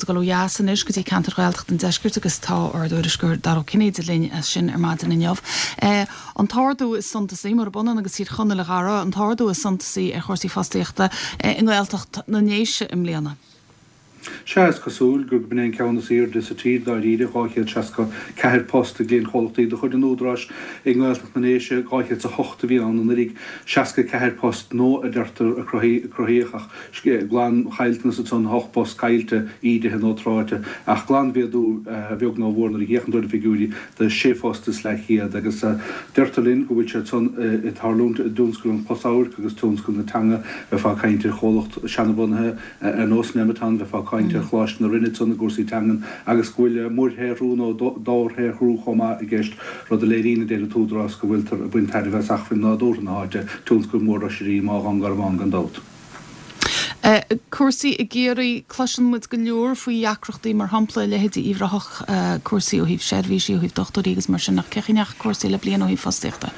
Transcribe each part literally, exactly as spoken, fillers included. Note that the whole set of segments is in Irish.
muid ag dul ó dheas anois go dtí ceantar Ghaeltacht an Deiscirt agus tá ár dtuairisceoir Dara Ó Cinnéide linn as sin ar maidin inniu. Eh, an t-ardú is suntasaí mar b'ionann agus Tír Chonaill a Dhara, an t-ardú is suntasaí ar chúrsaí fostaíochta eh, i nGaeltacht na nDéise i mbliana. Sea is cosúil gur b'in an ceann is airde sa tír dáiríre dhá chéad seasca ceathair post i gcliantchomhlachtaí de chuid an Údaráis i nGaeltacht na nDéise dhá chéad a hocht a bhí ann anuraidh seasca ceathair post nua a deirtear a cruthaíodh ach glanchaillteanas ansan ocht bpost caillte ídithe nó tráite ach glanmhéadú a bheag nó a mhór nuair a fhéachann tú ar na figiúirí de sé phost is leathchéad agus deirtear linn go bhfuil sé san ag tarlúint i dtionscal an chlosamhairc agus tionscal na teanga bheifeá ag caint ar chomhlacht seanbhunaithe ar nós Nemeton bheifeá ag caint ar Choláiste na Rinne ansan i gcúrsaí teangan agus go bhfuil muirshaothrú nó dobharshaothrú chomh maith i gceist, rud a léiríonn a deir an tÚdarás go bhfuiltear ag baint tairbhe as acmhainn nádúrtha na háite, tionscal mór oisrí, Má Dhún Garbhán gan dabht. Cúrsaí i gCiarraí, cloiseann muid go leor faoi dheacrachtaí mar shampla leithéidí Uíbh Ráthach, cúrsaí ó thaobh seirbhísí, ó thaobh dochtúirí agus mar sin, ach cén chaoi a ndeachaigh cúrsaí le bliain ó thaobh fostaíochta?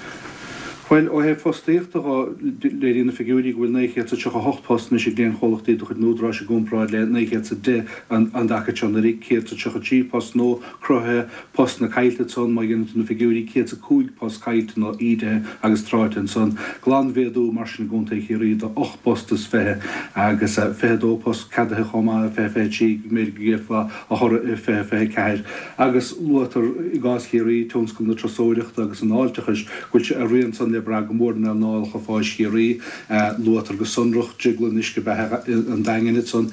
Bhuel, ó thaobh fostaíochta de, léiríonn na figiúirí go bhfuil naoi chéad is a tríocha a hocht post anois i gcliantchomhlachtaí de chuid an Údaráis i gcomparáid le naoi chéad is a deich an dtaca seo anuraidh, céad is a tríocha trí post nua cruthaithe, postanna caillte ansan, má dhéanann tú na figiúirí, céad is a cúig post caillte nó ídithe agus tráite ansan. Glanmhéadú mar sin i gContae Chiarraí de ocht bpost is fiche agus fiche a dó post ceadaithe chomh maith i fiche fiche trí, go mb'fhéidir go gheofá a thoradh i fiche fiche a ceathair. Agus luaitear i gcás Chiarraí tionscal na turasóireachta agus an fháilteachais, go bhfuil sé a rian san le brath go mór in earnálacha fáis Chiarraí. Luaitear go sonrach Drioglann Uisce Beatha an Daingin ansan,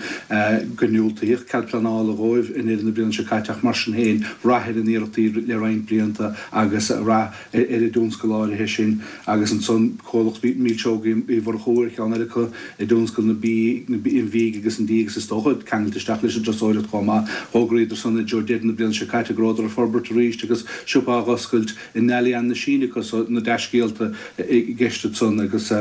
go ndiúltaíodh cead pleanála dhóibh i ndeireadh na bliana seo caite ach mar sin féin, rath ar a n-iarrachtaí le roinnt blianta agus rath ar an dtionscal áirithe sin. Agus ansan comhlacht Milseogaí Uí Mhurchú ar cheann eile acu i dtionscal na bídh, an bhídh agus an dí agus is dócha ceangailte isteach leis an dturasóireacht chomh maith. Fhógraíodar san i dtreo deireadh na bliana seo caite go rabhadar ag forbairt arís agus siopa á dh'oscailt i nDalian na Síne acu so na dea-scéalta i gceist ansan agus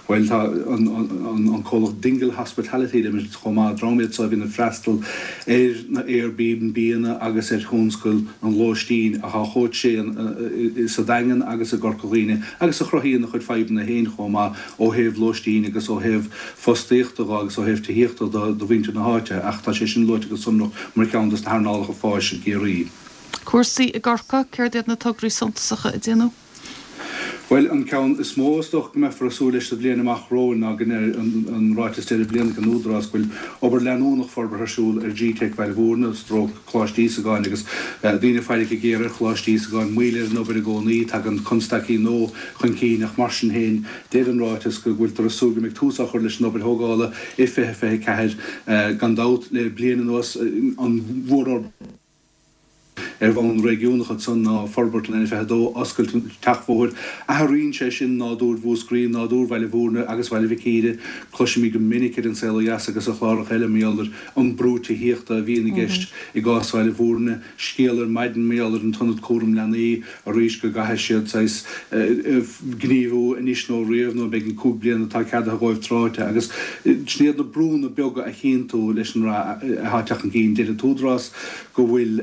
bhuel tá an comhlacht Dingle Hospitality Limited chomh maith, dream iad so a bhíonn ag freastal ar na Airbnb-anna agus ar thionscal an lóistín atá chomh tréan sa Daingean agus i gCorca Dhuibhne agus a chruthaíonn a chuid fadhbanna féin chomh maith ó thaobh lóistín agus ó thaobh fostaíochta dho agus ó thaobh tithíochta do do mhuintir na háite ach tá sé sin luaite go sonrach mar cheann dos na hearnálacha fáis i gCiarraí. Cúrsaí i gCorcaigh, céard iad na tograí suntasacha a déanadh? Bhuel, an ceann is mó is dócha go mbeifear ag súil leis sa bhliain amach romhainn ná go ndeir an ráiteas deireadh bliana ag an Údarás go bhfuil obair leanúnach forbartha ar siúl ar G-Teic Bhaile Bhúirne, stróc Coláiste Íosagáin agus daoine ag faire go géar ar Choláiste Íosagáin, moill ar an obair i gcónaí, tagann constaicí nua chun cinn ach mar sin féin deir an ráiteas go bhfuiltear ag súil go mbeidh tús á chur leis an obair thógála i fiche fiche ceathair. Gan dabht, le bliain anuas an mhórfhorbairt ar bhonn réigiúnach ansan ná forbairt an N fiche a dó, oscailt an tseachbhóthair. Athraíonn sé sin nádúr Mhúscraí, nádúr Bhaile Bhúirne agus Bhaile Mhic Íre. Cloisimid go minic ar An Saol Ó Dheas agus ar chláracha eile mar gheall ar an brú tithíochta a bhíonn i gceist i gcás Bhaile Bhúirne. Scéal ar maidin mar gheall ar an t-ionad cúram leanaí arís go gcaithfidh siad saghas gníomhú anois nó riamh nó beidh an cúig bliana atá ceadaithe dhóibh tráite agus sin iad na brúnna beaga a chíonn tú leis an rath atá ag teacht chun cinn. Deir an tÚdarás go bhfuil,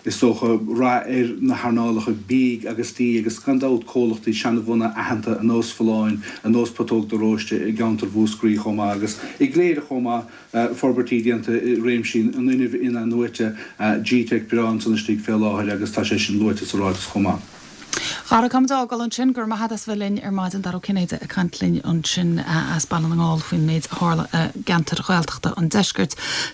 is dócha, rath ar na hearnálacha bídh agus dí agus gan dabht comhlachtaí seanbhunaithe aitheanta ar nós Folláin, ar nós Putóg de Róiste i gceantar Mhúscraí chomh maith agus i gCléire chomh maith, forbairtí déanta i réimsí an fhuinnimh in-athnuaite, G-Teic breá ansan istigh fé láthair agus tá sé sin luaite sa ráiteas chomh maith. A Dhara, táimid á fhágáil ansin. Go raibh maith agat as bheith linn ar maidin. Dara Ó Cinnéide ag caint linn ansin as Baile na nGall faoin méid a tharla i gceantair Ghaeltachta an deiscirt.